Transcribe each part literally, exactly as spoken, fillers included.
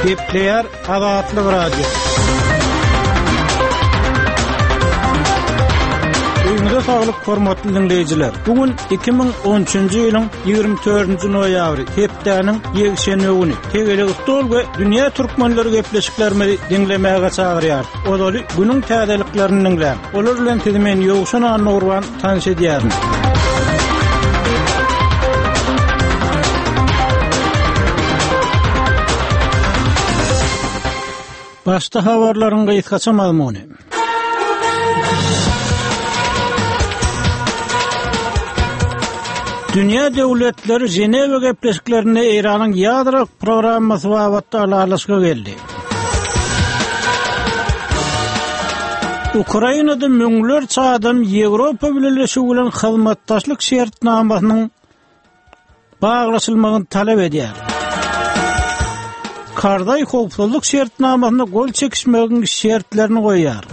Gepleýär Azatlyk Radio. Öýüňize saglyk hormatly diňleýjiler. Bu gün iki müň on üçünji ýylyň ýigrimi dördünji noýabry, hepdäniň ýekşenbe güni. Tegelek stol we dünýä türkmenleri gepleşiklerimizi diňlemäge çagyrýar. Ozaly günüň täzeliklerini diňläň. Olar bilen sizi men Ýowşan Annagurban tanyş edýärin. Başda habarlaryň gysgaça mazmuny. Dünýä döwletleri Ženewa gepleşiklerinde Eýranyň ýadro programmasy babatda ylalaşyga geldi. Ukrainada müňlerçe adam Ýewropa Bileleşigi bilen hyzmatdaşlyk şertnamasynyň baglaşylmagyny talap edýär. Karzaý howpsuzlyk şertnamasyna gol çekişmegiň şertlerini goýýar.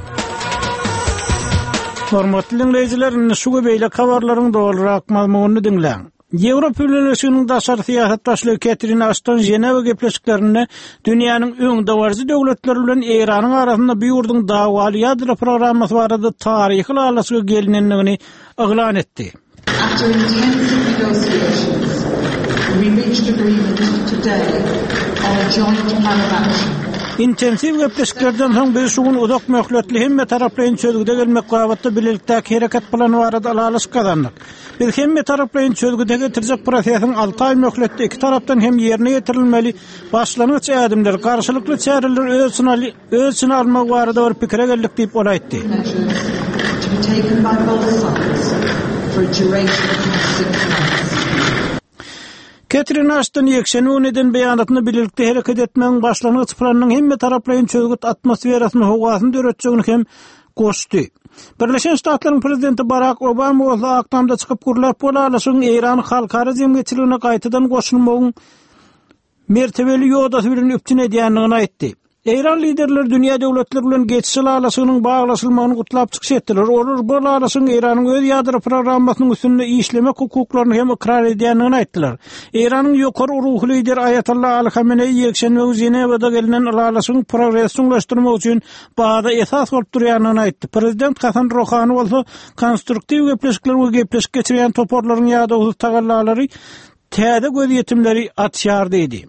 Hormatly diňleýjiler, indi şu we beýleki habarlaryň dolurak mazmunyny diňläň. Ýewropa Bileleşiginiň daşary syýasat başlygy Ketrin Aşton Ženewa gepleşiklerinde dünýäniň öňdebaryjy döwletleri bilen Eýranyň arasynda bu ýurduň dawaly ýadro programmasy barada taryhy ylalaşyga gelinendigini yglan etdi. After intensive negotiations, we reached agreement today on a joint plan of action. Intensiw gepleşiklerden soň biz şu gün uzak möhletli hemme taraplaýyn çözgüde gelmek babatda bilelikdäki hereket plany barada ylalaşyk gazandyk. Biz hemme taraplaýyn çözgüde getirjek prosesiň alty aý möhletde iki tarapdan hem ýerine ýetirilmeli başlangyç ädimler, garşylykly çäreler öz içine al-, öz içine almak barada bir pikire geldik diýip ol aýtdy. Measures to be taken by both sides for a duration of six months. Ketrin Aşton ýekşenbe güni eden beýanatynda bilelikde hereket etmegiň başlangyç planynyň hemme taraplaýyn çözgüt atmosferasyny howasyny döretjegini hem goşdy. Birleşen Ştatlaryň prezidenti Barack Obama bolsa Ak Tamda çykyp gürläp, bu ylalaşygyň Eýranyň halkara jemgyýetçiligine gaýtadan goşulmagyň mertebeli ýodasy bilen üpjün edýändigini aýtdy. Eýran liderleri dünýä döwletleri bilen geçiş ylalaşygynyň baglaşylmagyny gutlap çykyş etdiler. Olar bu ylalaşygyň Eýranyň öz ýadro programmasynyň üstünde işlemek hukuklaryny hem ykrar edýändigini aýtdylar. Eýranyň ýokary ruhy lideri Aýatollah Ali Hameneýi ýekşenbe güni Ženewada gelinen ylalaşygyň progresi çuňlaşdyrmak üçin baza esas bolup durýandygyny aýtdy. Prezident Hasan Rohani bolsa konstruktiw gepleşikler we gepleşik geçirýän toparlaryň ýadawsyz tagallalary täze gözýetimleri açýar diýdi.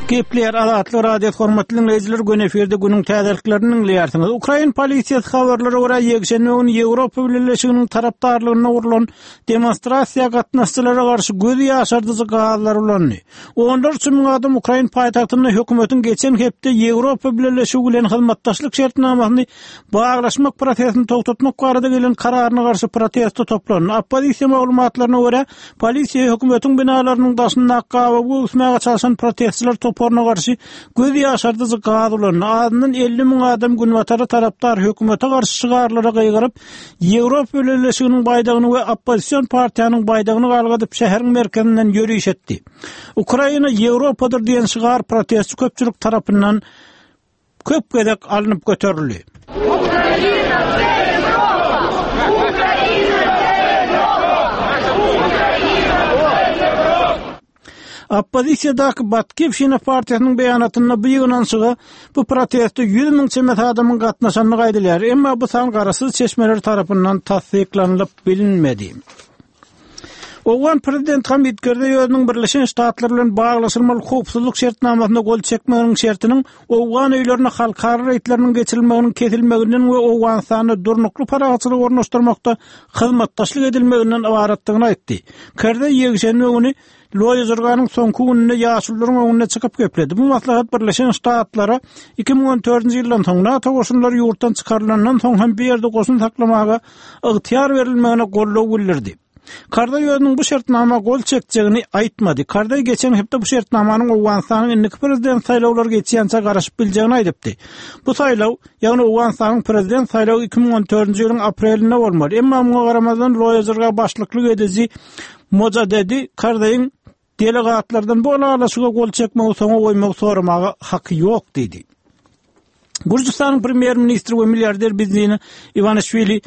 Gepleýär Azatlyk Radio hormatly dinleýjiler, gün efirde günüň täzeliklerini dinleýärsiňiz. Ukrain polisiýasy habarlara görä ýekşenbe güni Ýewropa Bileleşiginiň tarapdarlygynda gurlan demonstrasiýa gatnaşyjylara garşy göz ýaşardyjy gazlar ulandy. Onlarça müň adam Ukrain paýtagtynda hökümetiň geçen hepde Ýewropa Bileleşigi bilen hyzmatdaşlyk şertnamasyny baglaşmak prosesini togtatmak barada gelen kararyna garşy protesta toplandy. Oppozisiýa maglumatlaryna görä, polisiýa hökümetiň binalarynyň daşyndaky gabawy öwüsmäge çalışan protestçiler toparyna garşy göz ýaşardyjy gaz ulandy. Azyndan elli müň adam günbatara tarapdar hökümete garşy şygarlara gygyryp, Ýewropa Bileleşiginiň baýdagyny we oppozision partiýanyň baýdagyny galgadyp şäheriň merkezinden ýöriş etdi. Ukraina Ýewropadyr diýen şygar protestçi köpçülik tarapyndan köp gezek alnyp göterildi. Ukraina, Ýewropa! Ukraina, Ýewropa! Ukraina, Ýewropa! Oppozisiýadaky Batkivşina partiýasynyň beýanatynda bu ýygnanyşyga bu proteste ýüz müň çemesi adamyň gatnaşandygy aýdylýar. Emma bu san garaşsyz çeşmeler tarapyndan tassyklanylyp bilinmedi. Owgan prezident Hamid Karzai özüniň Birleşen Ştatlar bilen baglaşylmaly howpsuzlyk şertnamasyna gol çekmeginiň şertiniň Owgan öýlerine halkara reýdleriniň geçirilmeginiň kesilmeginden we Owganystanda durnukly parahatçylygy ornaşdyrmakda hyzmatdaşlyk edilmeginden ybaratdygyny aýtdy. Karzai ýekşenbe güni Loýa Jirganyň soňky gününde ýaşulularyň öňünde çykyp gepledi. Bu maslahat Birleşen Ştatlara iki müň on dördünji ýyldan soň NATO goşunlary ýurtdan çykarylandan soň hem bir ýerde goşun saklamaga ygtyýar berilmegine goldaw bildirdi. Karzai özüniň bu şertnama gol çekjegini aýtmady. Karzai geçen hepde bu şertnamanyň Owganystanyň indiki prezident saýlawlary geçýänçä garaşyp biljegini aýdypdy. Bu saýlaw, ýagny Owganystanyň prezident saýlawy iki müň on dördünji ýylyň aprelinde bolmaly. Emma muňa garamazdan Loýa Jirga başlyklyk ediji Mojadedi Karzaiň delegatlardan bu ylalaşyga gol çekmegi soňa goýmagy soramaga haky ýok diýdi. Gürjüstanyň premýer-ministri we milliarder Bidzina Iwanişwili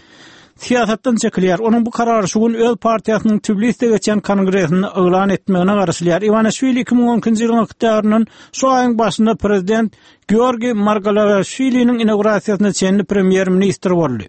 syýasatdan çekilýär. Onuň bu karary şu gün öz partiýasynyň Tbiliside geçýän kongresinde yglan etmegine garaşylýar. Iwanişwili iki müň on ikinji ýylyň oktýabryndan şu aýyň başynda prezident Georgi Margalaşwiliniň inaugurasiýasyna çenli premýer-ministr boldy.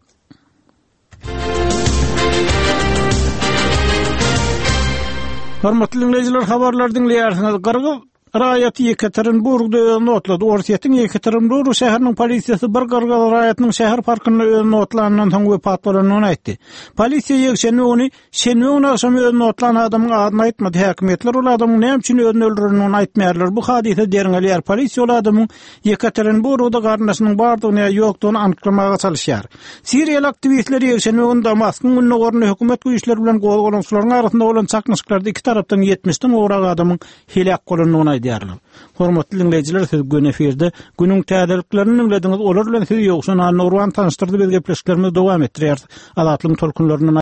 Hormatly dinleýjiler, habarlar diňleýärsiňiz. Gyrgyz raýaty Ýekaterinburgda özüni otlady. Orsýetiň Ýekaterinburg şäheriniň polisiýasy bir gyrgyz raýatynyň şäher parkynda özüni otlanyndan soň wepat bolandygyny aýtdy. Polisiýa ýekşenbe güni şenbe güni agşam özüni otlan adamyň adyny aýtmady. Häkimiýetler ol adamyň näme üçin özüni öldürendigini aýtmaýarlar. Bu hadysa derňelýär. Polisiýa ol adamyň Ýekaterinburgda garyndaşynyň bardygyny ýa ýokdugyny anyklamaga çalyşýar. Siriýaly aktiwistler ýekşenbe güni Damaskyň gündogarynda hökümet güýçleri bilen gozgalaňçylaryň arasynda bolan çaknyşyklarda iki tarapdan ýetmişden gowrak adamyň heläk bolandygyny aýdýarlar. Hormatly dinleýjiler, siz gün efirde günüň täzeliklerini dinlediňiz. Olar bilen sizi Ýowşan Annurwan tanyşdyrdy. Biz gepleşiklerimizi dowam etdirýäris. Azatlygyň tolkunlaryndan